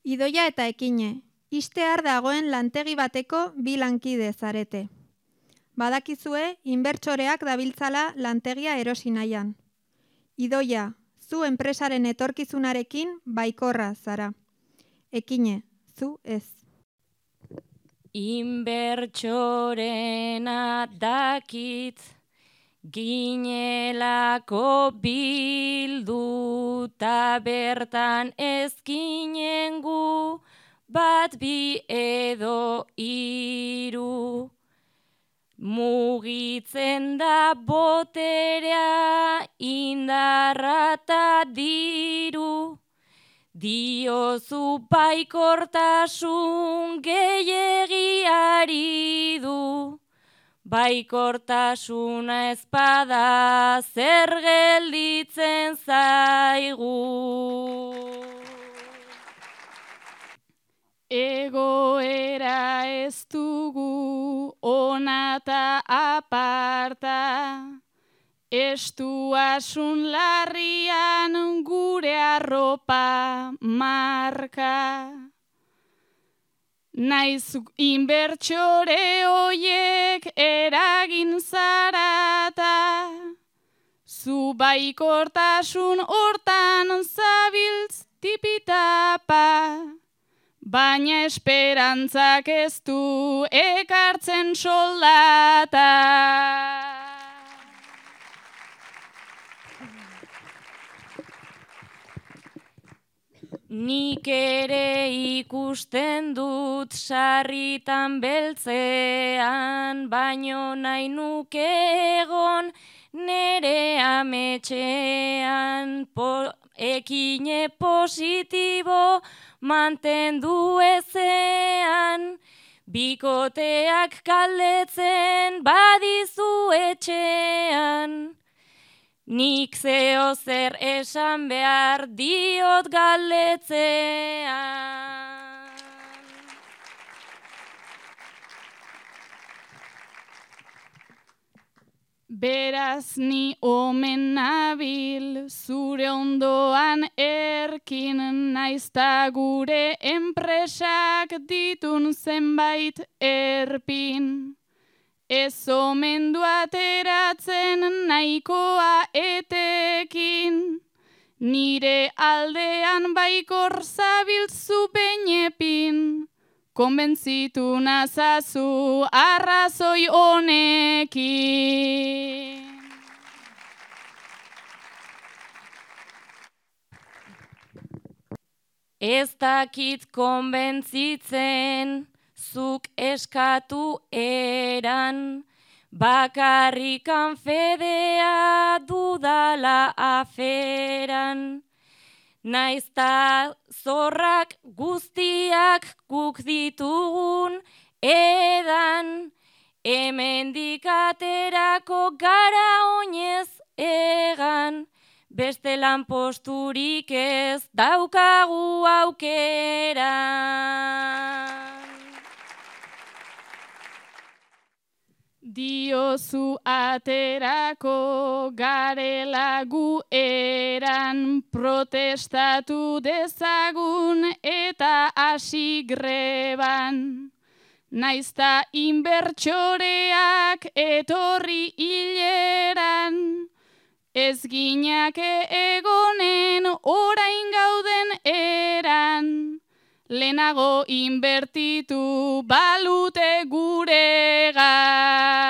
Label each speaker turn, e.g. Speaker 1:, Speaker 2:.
Speaker 1: Idoia eta Ekine, ixtear dagoen lantegi bateko bi lankide zarete. Badakizue, inbertsoreak dabiltzala lantegia erosi nahian. Idoia, zu enpresaren etorkizunarekin baikorra zara. Ekine, zu ez.
Speaker 2: Inbertsorena dakit, ginelako bilduta bertan ezkinen gu, bat bi edo hiru. Mugitzen da boterea, indarra eta diru. Diozu baikortasun gehiagiari du. Baikortasuna ezpada zer gelditzen zaigu.
Speaker 3: Egoera ez dugu ona eta aparta, estuasun larrian gure arropa marka. Naiz inbertsore hoiek eragin zarata, zu baikortasun hortan zabiltz tipitapa. Baina esperantzak ez du ekartzen soldata.
Speaker 2: Nik ere ikusten dut sarritan beltzean, baino nahi nuke egon nere ametxean. Ekine positibo mantendu ezean, bikoteak galdetzen badizu etxean. Nik zeo zer esan behar diot galdetzean.
Speaker 3: Beraz ni omen nabil, zure ondoan erkin, naizta gure enpresak ditun zenbait erpin. Ez omen du ateratzen nahikoa etekin, nire aldean baikor zabiltzu beinepin. Konbentzitu nazazu arrazoi honekin.
Speaker 2: Ez dakit konbentzitzen, zuk eskatu eran, bakarrikan fedea dudala aferan. Naizta zorrak guztiak guk ditugun edan, hemendik aterako gara oinez egan, beste lanposturik ez daukagu aukeran.
Speaker 3: Diozu aterako garela gu eran, protestatu dezagun eta hasi greban. Naizta inbertsoreak etorri hileran, ez ginake egonen orain gauden eran. Lehenago inbertitu balute guregan.